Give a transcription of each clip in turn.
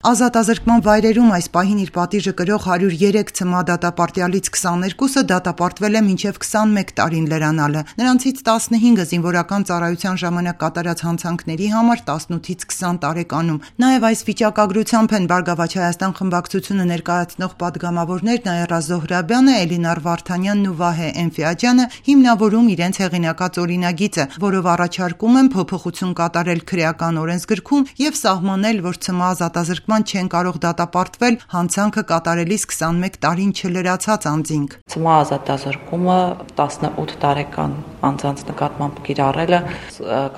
Ազատազրկման վայրերում այս պահին իր պատիժը կրող 103 ՑՄԱ դատապարտյալից 22-ը դատապարտվել է մինչև 21 տարին լրանալը։ Նրանցից 15-ը զինվորական ծառայության ժամանակ կատարած հանցանքների համար, 18-ից 20 տարեկանում։ Նաև այս վիճակագրությամբ են Բարգավաճ Հայաստան խմբակցությունը ներկայացնող պատգամավորներ Նաիրա Զոհրաբյանը, Էլինար Վարդանյանն ու Վահե Էնֆիաջյանը հիմնավորում իրենց հեղինակած օրինագիծը, որով առաջարկում են փոփոխություն կատարել քրեական օրենսգրքում եւ սահմանել, որ ՑՄԱ ազատազրկման չեն կարող դատապարտվել հանցանքը կատարելիս 21 տարին չլրացած անձինք։ ՑՄԱ ազատազրկումը 18 տարեկան անձանց նկատմամբ կիրառելը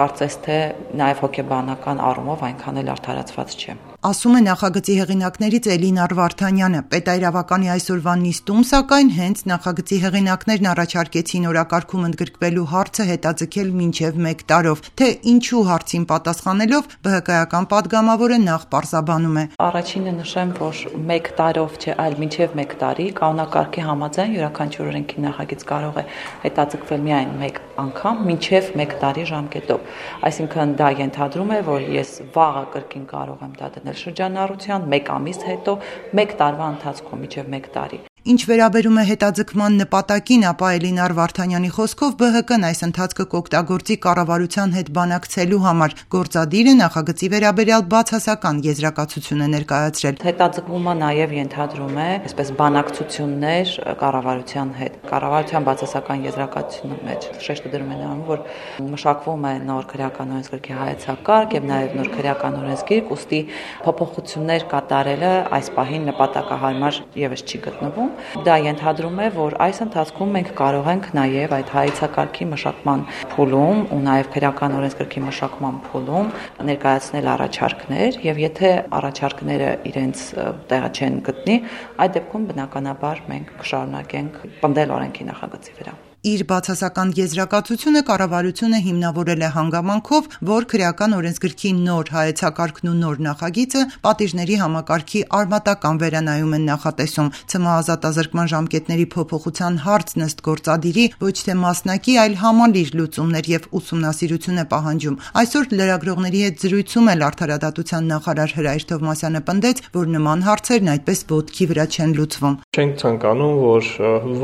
կարծես թե նաև հոգեբանական առումով այնքան էլ արդարացված չէ։ Ասում է նախագծի հեղինակներից Էլինար Վարդանյանը։ Պետայրավականի այսօրվա նիստում, սակայն, հենց նախագծի հեղինակներն առաջարկեցին օրակարգում ընդգրկվելու հարցը հետաձգել մինչև 1 տարով, թե ինչու հարցին պատասխանելով ԲՀԿ-ական պատգամավորը նախ պարզաբանում է. Առաջինը նշեմ, որ 1 տարով չէ, այլ մինչև 1 տարի կանոնակարգի համաձայն յուրաքանչյուր օրենքի նախագիծ կարող է հետաձգվել միայն 1 անգամ մինչև 1 տարի ժամկետով։ Այսինքն դա ենթադրում է, որ ես վաղը կրկին կարող եմ դա դնել շրջանառության 1 ամիս հետո 1 տարվա ընթացքում մինչև 1 տարի։ Ինչ վերաբերում է հետաձգման նպատակին, ապա Էլինար Վարդանյանի խոսքով ԲՀԿ-ն այս ընթացքը կօգտագործի կառավարության հետ բանակցելու համար։ Գործադիրը նախագծի վերաբերյալ բացասական եզրակացություն է ներկայացրել։ Հետաձգումը նաև ենթադրում է այսպես բանակցություններ կառավարության հետ։ Կառավարության բացասական եզրակացության մեջ շեշտը դրում է նրան, որ մշակվում է նոր քրեական օրենսգրքի հայեցակարգ եւ նաև նոր քրեական օրենսգիրք, ուստի փոփոխություններ կատարելը այս պահին նպատակահարմար եւս չի գտնվում։ Դա ենթադրում է, որ այս ընթացքում մենք կարող ենք նաև այդ հայեցակարգի մշակման փուլում ու նաև քրեական օրենսգրքի մշակման փուլում ներկայացնել առաջարկներ եւ եթե առաջարկները իրենց տեղը չեն գտնի, այդ դեպքում բնականաբար մենք կշարունակենք պնդել օրենքի նախագծի վրա։ Իր բացասական եզրակացությունը կառավարությունը հիմնավորել է հանգամանքով, որ քրեական օրենսգրքի նոր հայեցակարգն ու նոր նախագիծը պատիժների համակարգի արմատական վերանայում են նախատեսում։ ՑՄԱ ազատազրկման ժամկետների փոփոխության հարցն ըստ գործադիրի ոչ թե մասնակի, այլ համալիր լուծումներ եւ ուսումնասիրություն է պահանջում։ Այսօր լրագրողների հետ զրույցում էլ արդարադատության նախարար Հրայր Թովմասյանը պնդեց, որ նման հարցերն այդպես ոտքի վրա չեն լուծվում։ Չենք ցանկանում, որ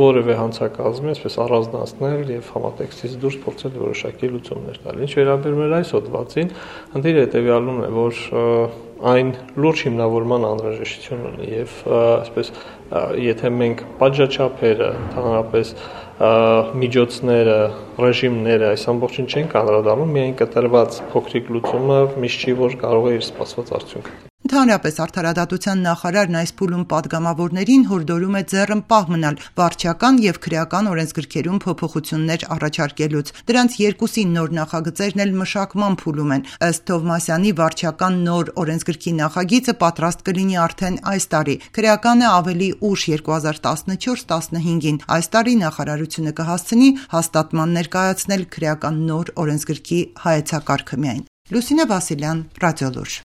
որևէ հանցակազմի այսպես առանձնացնել եւ համատեքստից դուրս փորձել որոշակի լուծումներ տալ։ Ինչ վերաբերում է այս հոդվածին, խնդիրը հետեւյալն է, որ այն լուրջ հիմնավորման անհրաժեշտություն ունի եւ այսպես եթե մենք պատժաչափերը, ընդհանրապես միջոցները, ռեժիմները այս ամբողջին չենք անդրադառնում, միայն կտրված փոքրիկ լուծումը միշտ չի որ կարող է իր սպասված արդյունքը։ Ընդհանրապես արդարադատության նախարարն այս փուլում պատգամավորներին հորդորում է ձեռնպահ մնալ վարչական եւ քրեական օրենսգրքերում փոփոխություններ առաջարկելուց։ Դրանց երկուսի նոր նախագծերն էլ մշակման փուլում են։ Ըստ Թովմասյանի վարչական նոր օրենսգրքի նախագիծը պատրաստ կլինի արդեն այս տարի, քրեականը ավելի ուշ 2014-15-ին։ Այս տարի նախարարությունը կհասցնի հաստատման ներկայացնել քրեական նոր օրենսգրքի հայեցակարգը միայն։ Լուսինե Վասիլյան, Ռադիոլուր։